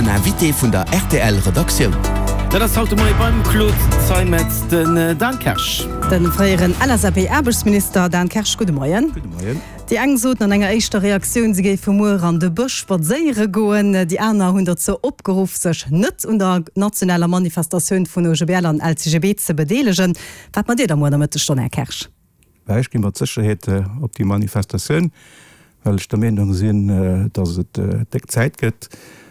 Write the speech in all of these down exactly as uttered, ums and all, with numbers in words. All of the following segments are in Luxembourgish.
Den Invité vun der R T L Redaktioun. Dat ass haut de Moie beim Claude Zeimetz den Dan Kersch. De fréieren L S A P-Aarbechtsminister Dan Kersch, gudde Moien. Gudde Moien. Déi eng soten an enger éischter Reaktioun, si géife muer an de Bësch spadséiere goen. Déi aner hunn dozou opgeruff, sech net un der nationaler Manifestatioun vun O G B L an L C G B ze bedeelegen. Wat maacht Dir da muer Nomëtteg dann, Här Kersch? Ech gi mat Sécherheet op déi Manifestatioun, well ech der Meenung sinn, datt et déck Zäit gëtt,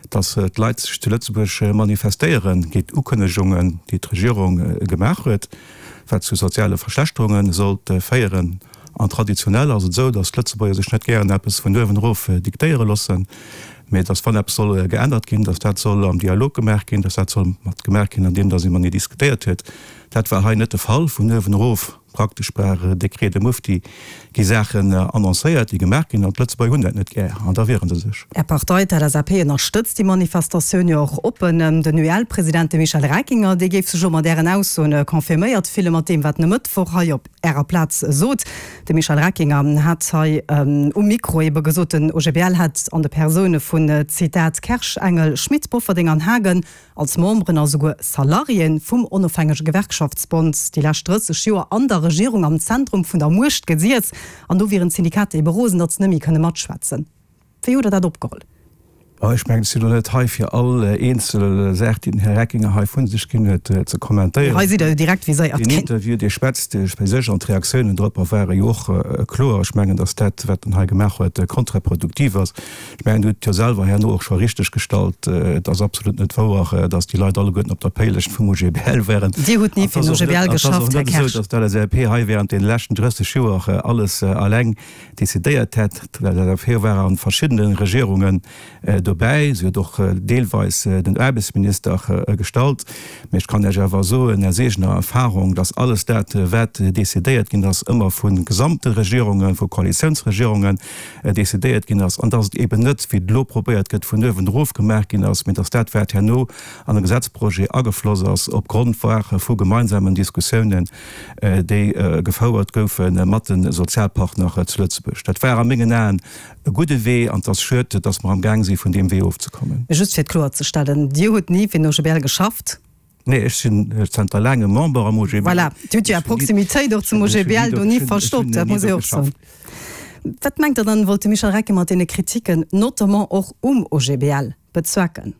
datt d'Leit sech zu Lëtzebuerg manifestéieren géint Ukënnegungen, déi d'Regierung gemaach huet, wat zu soziale Verschlechterunge sollt féieren. An traditionell ass et esou, datt d'Lëtzebuerger sech net gären eppes vun uewen erof diktéiere loossen, mee datt wann eppes soll geännert ginn, datt dat soll am Dialog gemaach ginn, datt dat soll mat gemaach ginn, andeem datt ee matenee diskutéiert huet. Dat war hei net de Fall. Vun uewen erof, praktesch par décret de mufti, gi Saachen annoncéiert, déi gemaach ginn, an d'Lëtzebuerger hunn dat net gär an da wiere se sech. Är Partei, d'L S A P, ënnerstëtzt déi Manifestatioun jo och oppen. Den U E L-President, de Michel Reckinger, dee géif sech och mat Ären Aussoen confirméiert fille mat deem, wat en e Mëttwoch hei op Ärer Plaz sot. De Michel Reckinger hat hei um Mikro ebe gesot, den O G B L hätt an de Persoune vun, Zitat, Kersch, Engel, Schmit, Bofferding an Haagen als Memberen a souguer Salariéen vum onofhängege Gewerkschaftsbond déi lescht drësseg Joer an der Regierung am Zentrum vun der Muecht gesiess an do wieren d'Syndikater ebe rosen, datt se net méi kënne matschwätzen. Wéi hutt Der dat opgeholl? Ech mengen, ech sinn elo net hei fir all eenzel Saach, déi den Här Reckinger hei vu sech ginn huet, ze kommentéieren. Hei sidd Der jo direkt viséiert ginn. Deen Interview, dee schwätzt fir sech an d'Reaktiounen dorop ware jo och kloer. Ech mengen, datt dat, wat en hei gemaach huet, kontraproduktiv ass. Ech mengen, Dir hutt jo selwer herno och scho richteg gestallt, et ass absolut net wouer, datt déi Leit alleguerten op der Péilescht vum O G B L waren. Dir hutt ni fir den O G B L geschafft, Här Kersch. Et ass och net esou, datt d'L S A P hei während deene leschten drësseg Joer alles alleng decidéiert hätt. D'L S A P war a verschiddene Regierungen dobäi. Si huet och deelweis den Aarbechtsminister gestallt. Mee ech kann Iech awer soen aus eegener Erfahrung, dass alles dat, wat decidéiert ginn ass, ëmmer vu gesamte Regierungen, vu Koalitiounsregierungen decidéiert ginn ass an dass et eben net, wéi et elo probéiert gëtt, vun uewen erof gemaach ginn ass, mee dass dat, wat herno an e Gesetzprojet agefloss ass, opgrond war vu gemeinsamen Diskussiounen, déi gefouert goufe mat de Sozialpartner zu Lëtzebuerg. Dat war a mengen Aen e gudde Wee an et ass schued, dass mer amgaang si vun deem Wee ofzekommen. Just fir et kloerzestellen, Dir hutt ni fir den O G B L geschafft? Nee, ech sinn zanter laangem Member am O G B L. Voilà, Dir hutt jo Är Proximitéit och zum O G B L do ni verstoppt, dat muss ee och soen. Wat mengt Der dann, wollt de Michel Reckinger mat deene Kritiken, notamment och um O G B L, bezwecken?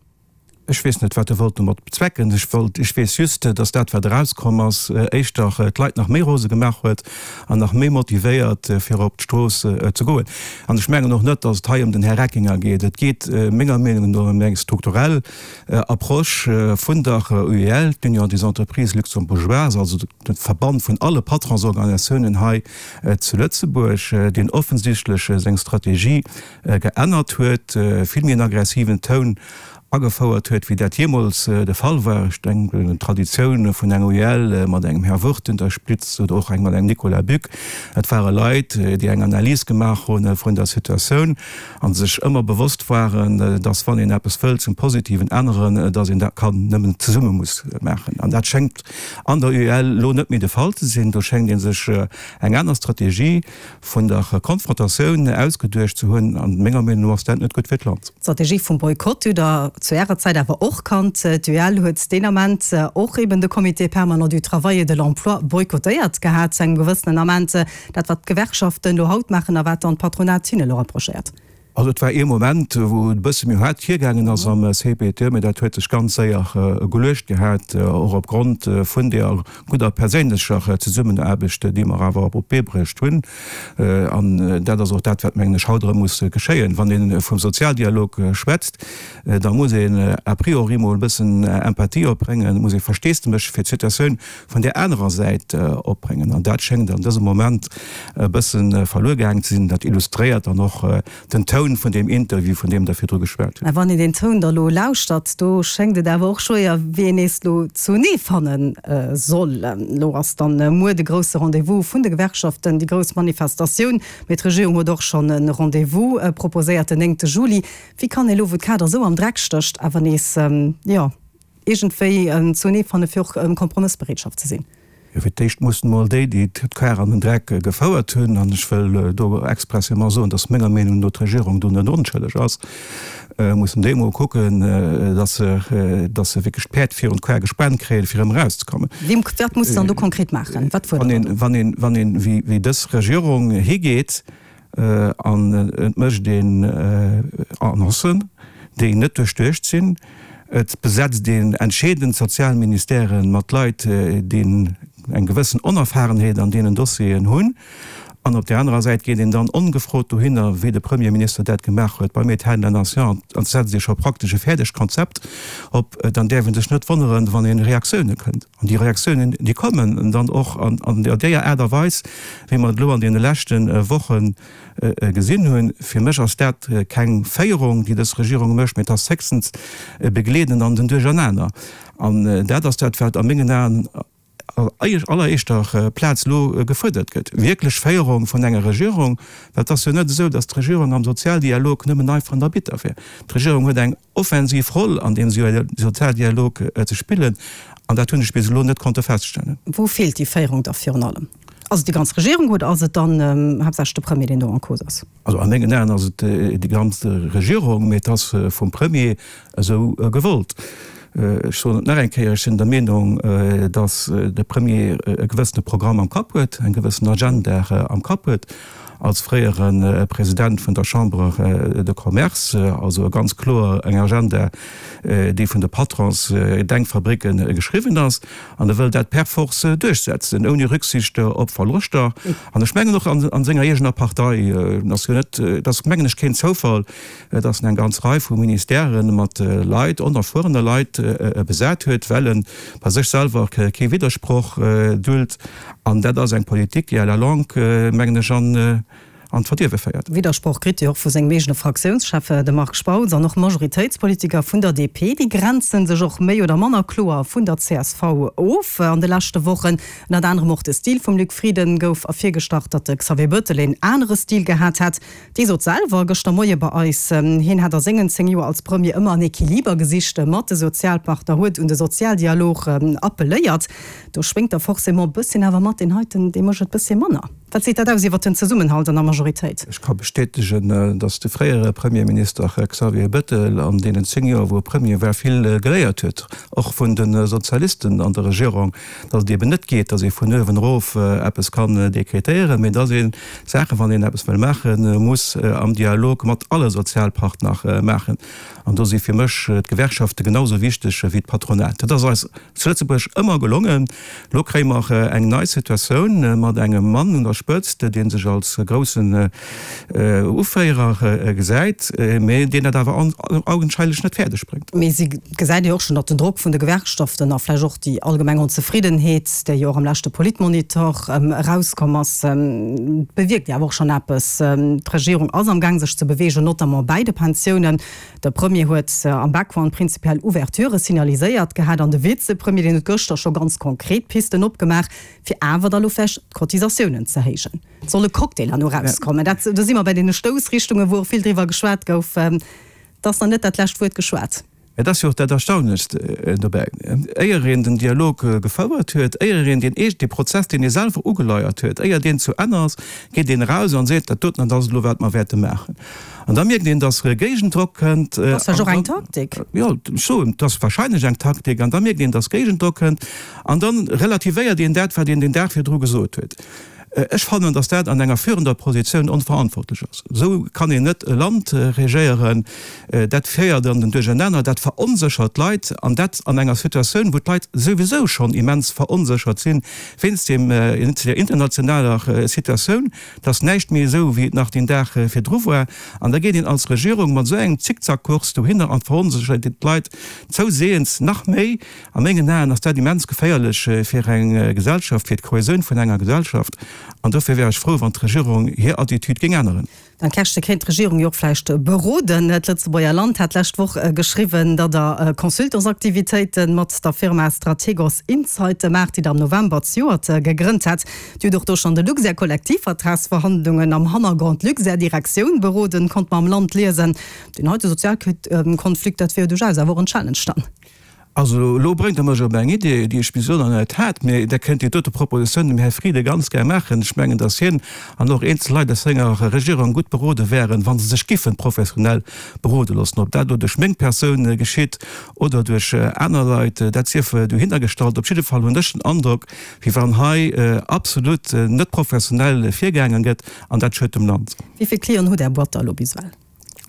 Ech weess net, wat e wollt domat bezwecken. Ech wollt, ech weess just, datt dat, wat erauskomm ass, éischter d'Leit nach méi rose gemaach huet an nach méi motivéiert, fir op d'Strooss ze goen. An ech mengen och net, datt et hei ëm den Här Reckinger geet. Et geet menger Meenung no ëm eng strukturell Approche vun der U E L, d'Union des entreprises luxembourgeoises, also de Verband vun alle Patronsorganisatiounen hei zu Lëtzebuerg, deen offensichtlech seng Strategie geännert huet, vill méi en aggressiven Toun agefouert huet, wéi dat jeemools de Fall war. Ech denken un d'Traditioun vun enger U E L mat engem Här Wurth un der Spitz oder och eng mat engem Nicolas Buck. Dat ware Leit, déi eng Analys gemaach hu vun der Situatioun a sech ëmmer bewosst waren, dass wann een eppes wëllt zum Positiven änneren, dass een dat kann nëmmen zesumme muss maachen. An dat schéngt an der U E L elo net méi de Fall ze sinn. Do schéngt ee sech eng aner Strategie vun der Konfrontatioun ausgeduecht ze hunn. An menger Meenung no ass dat net gutt fir d'Land. D'Strategie vum Boykott hutt Der zu Ärer Zäit awer och kannt. D'U E L huet deen Ament och eben de Comité permanent du travail et de l'emploi boykottéiert gehat zu engem gewëssenen Ament. Dat wat d'Gewerkschaften elo haut maachen a wat dann d'Patronat hinne elo reprochéiert. Also et war ee Moment, wou et e bësse méi haart virgaangen ass am C P T E, mä dat huet sech ganz séier geluecht gehat, och opgrond vun där gudder perséinlecher Zesummenaarbecht, déi mer awer op d'Bee bruecht hunn. An dat ass och dat, wat, mengen ech, haut erëm muss geschéien. Wann ee vum Sozialdialog schwätzt, da muss een a priori mol e bëssen Empathie opbréngen, muss ee Versteesdemech fir d'Situatioun vun där anerer Säit opbréngen. An dat schéngt an dësem Moment e bësse verluer gaangen ze sinn. Dat illustréiert dann och den Toun vun deem Interview, vun deem Der virdru geschwat hutt. Mä wann een deen Toun da lo lauschtert, do schéngt et awer och schwéier, wéi een nees lo zunee fanne soll. Lo ass dann muer de grousse Rendez-vous vun de Gewerkschaften, déi grouss Manifestatioun. Mee d'Regierung huet och schonn e Rendez-vous proposéiert, den néngte Juli. Wéi kann ee lo, wou d'Kader esou am Dreck stécht, awer nees, jo, iergendwéi zunee fanne fir och Kompromëssbereetschaft ze sinn? Jo, Jo, fir d'éischt mussen emol déi, déi d'Kar an den Dreck gefouert hunn, an ech wëll do expressément soen, dass menger Meenung no d'Regierung do net onschëlleg ass, mussen déi emol kucken, dass se, dass se wierklech d'Päerd virun d'Kar gespaant kréien, fir erëm erauszekommen. Wien, wat muss dann do konkret maachen? Wat fuerdert Der do? Wann een, wann een, wéi, wéi dës Regierung higeet an et mécht een Annoncen, déi net duerchduecht sinn, Et besetzt een entscheedend sozial Ministèren mat Leit, déi eng gewëssen Onerfahrenheet an deenen Dossieren hunn. An op där anerer Säit geet een dann ongefrot dohinner, wéi de Premierminister dat gemaach huet beim État de la Nation, an setzt ee scho praktesch e fäerdegt Konzept op. Dann däerf ee sech net wonneren, wann ee Reaktioune kënnt. An déi Reaktiounen, déi kommen dann och an deeër Aart a Weis, wéi mer et elo an deene leschte Wochen gesinn hunn. Fir mech ass dat keng Féierung, déi dës Regierung mécht, mee et ass héchstens e Begleeden an den Duerchernaner. An dat ass dat, wat a mengen Aen an alleréischter Plaz elo gefuerdert gëtt, wierklech Féierung vun enger Regierung. Well et ass jo net esou, datt d'Regierung am Sozialdialog nëmmen einfach an der Bitter wär. D'Regierung huet eng offensiv Roll an deem Sozialdialog ze spillen, an dat hunn ech bis elo net konnte feststellen. Wou feelt déi Féierung da virun allem? Ass et déi ganz Regierung oder ass et dann haaptsächlech de Premier, deen do en cause ass? Also a mengen Aen ass et déi ganz Regierung, mee et ass vum Premier esou gewollt. Ech soen et nach eng Kéier, ech sinn der Meenung, datt de Premier e gewëssene Programm am Kapp huet, eng gewëssen Agenda am Kapp huet, als fréiere President vun der Chambre de Commerce, also e ganz kloer eng Agenda, déi vun de Patrons-Denkfabricke geschriwwen ass, an e wëll dat per force duerchsetzen, ouni Rücksicht op Verloschter. An ech mengen och a senger eegener Partei, et ass jo net, et ass mengen ech keen Zoufall, datt en eng ganz Rei vu Ministèrë mat Leit, onerfuerene Leit besat huet, well e bei sech selwer kee Widdersproch duld. An dat ass eng Politik, déi à la longue, mengen ech, an an d'Verdierwe féiert. Widdersproch kritt Dir och vu sengem eegene Fraktiounschef, dem Marc Spautz, an och Majoritéitspolitiker vun der D P. Déi grenze sech och méi oder manner kloer vun der C S V of an de leschte Wochen. Ënnert anerem och de Stil vum Luc Frieden gouf ervirgestach, datt de Xavier Bettel een anere Stil gehat hätt. Dee sot selwer gëschter Moie bei eis, hien hätt a sengen zéng Joer als Premier ëmmer en Equiliber gesicht mat de Sozialpartner, huet un de Sozialdialog appelléiert. Do schwéngt da forcément e bësschen awer mat, deen heiten, dee mécht et bësschen manner. Wat seet dat aus iwwer den Zesummenhalt an der Majoritéit? Ech ka bestätegen, datt de fréiere Premierminister Xavier Bettel an deenen zéng Joer, wou e Premier war, vill geléiert huet, och vun de Sozialisten an der Regierung, datt et eben net geet, datt ee vun uewen erof eppes kann dekretéieren, mee datt ee Saachen, wann een eppes wëll maachen, muss am Dialog mat alle Sozialpartner maachen. An do si fir mech d'Gewerkschafte genau sou wichteg wéi d'Patronat. Dat ass eis zu Lëtzebuerg ëmmer gelongen. Elo kréie mer eng nei Situatioun mat engem Mann un der Spëtzt, dee sech als groussen Uféierer gesäit, mee deen dat awer augenscheinlech net fäerdeg bréngt. Mee si gesäit jo och schonn, datt den Drock vun de Gewerkschaften a vläicht och déi allgemeng Onzefriddenheet, déi jo och am leschte Politmonitor erauskomm ass, bewierkt jo awer och schonn eppes. D'Regierung ass am Gaang sech ze beweegen, notamment bäi de Pensiounen. De Premier huet am Background prinzipiell Ouverturë signaliséiert gehat an de Vizepremier, deen huet gëschter scho ganz konkret Pisten opgemaach, fir awer da lo vläicht d'Cotisatiounen ze héijen. Et soll e Cocktail herno erauskommen. Dat, do si mer bei deene Stoussrichtungen, wou och vill driwwer geschwat gouf. Et ass nach net dat lescht Wuert geschwat. Et ass jo och dat Erstaunlechst dobäi, éier een den Dialog gefouert huet, éier een deen eegene Prozess, deen ee selwer ugeleiert huet, éier deen zu Enn ass, geet een eraus an seet, dat doten, dat ass et elo, wat mer wäerte maachen. An da mierkt een, dass Géigendrock kënnt. Dat ass vläicht och eng Taktik. Jo, ech soen, et ass wahrscheinlech eng Taktik. An da mierkt een, dass Géigendrock kënnt. An da relativéiert een dat, wat een deen Dag virdru gesot huet. Ech fannen, dass dat an enger führender Positioun onverantwortlech ass. Esou kann een net e Land regéieren. Dat féiert an den Duerchernaner, dat veronséchert d'Leit, an dat an enger Situatioun, wou d'Leit souwisou schonn immens veronséchert sinn, wéinst deem, der internationaler Situatioun, dass näischt méi esou, wéi et nach deen Dag virdru war. An da geet een als Regierung mat esou engem Zickzackkurs dohinner an veronséchert d'Leit zouseeëns nach méi. A mengen Aen ass dat immens geféierlech fir eng Gesellschaft, fir d'Kohäsioun vun enger Gesellschaft. An dofir wär ech frou, wann d'Regierung hir Attitüd géing änneren. Dan Kersch, kéint d'Regierung jo och vläicht beroden. D'Lëtzebuerger Land hat d'lescht Woch geschriwwen, datt Der Consultantsaktivitéite mat der Firma Strategos Insight maacht, déi Der am November zejoert gegrënnt hat. Dir hutt och do schonn de Luxair-Kollektivvertragsverhandlungen am Hannergrond d'Luxair-Direktioun beroden, konnte mer am Land liesen. Deen heite Sozialkonflikt, dat wier jo duerchaus awer och en Challenge dann. Also elo bréngt Der mech op eng Idee, déi ech bis elo nach net hat. Mee Der kënnt déi dote Propositioun dem Här Frieden ganz gär maachen. Ech mengen, datt hien an och eenzel Leit aus senger Regierung gutt berode wären, wa se sech giffen professionell berode loossen. Ob dat elo duerch meng Persoun geschitt oder duerch aner Leit, dat sief dohinnergestallt. Op jidde Fall hunn ech den Androck, wéi wann hei absolut net professionell virgaangen gëtt, an dat schuet dem Land. Wéi vill Clienten hutt Är Boîte da elo bis ewell?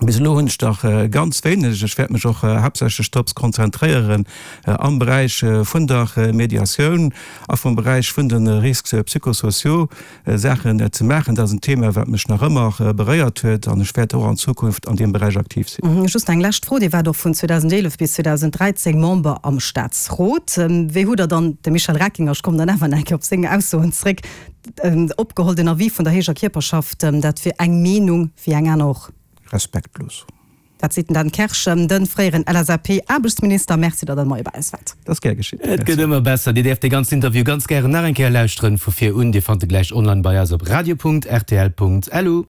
Bis elo hunn ech dach ganz wéineg. Ech wäert mech och haaptsächlech drops konzentréieren am Beräich vun der Mediatioun a vum Beräich vun de Risques psychosociaux Saachen ze maachen. Dat ass en Thema, wat mech nach ëmmer beréiert huet an ech wäert och an Zukunft an deem Beräich aktiv sinn. Just eng lescht Fro, Dir waart och vun zweedausendeelef bis zweedausenddräizéng Member am Staatsrot. Wéi hutt Der dann de Michel Reckinger, ech kommen dann awer nach eng Kéier op seng Aussoen zréck, opgeholl, den Avis vun der héijer Kierperschaft, dat wier eng Meenung wéi eng aner och? Respektlos. Dat seet den Dan Kersch, de fréieren L S A P-Aarbechtsminister. Merci, datt Der de Moie bei eis waart. Dat ass gär geschitt. Et gëtt ëmmer besser. Dir däerft dee ganzen Interview ganz gären nach eng Kéier lauschteren, vu vir un. Dir fannt e gläich online bei eis op radio Punkt R T L Punkt L U.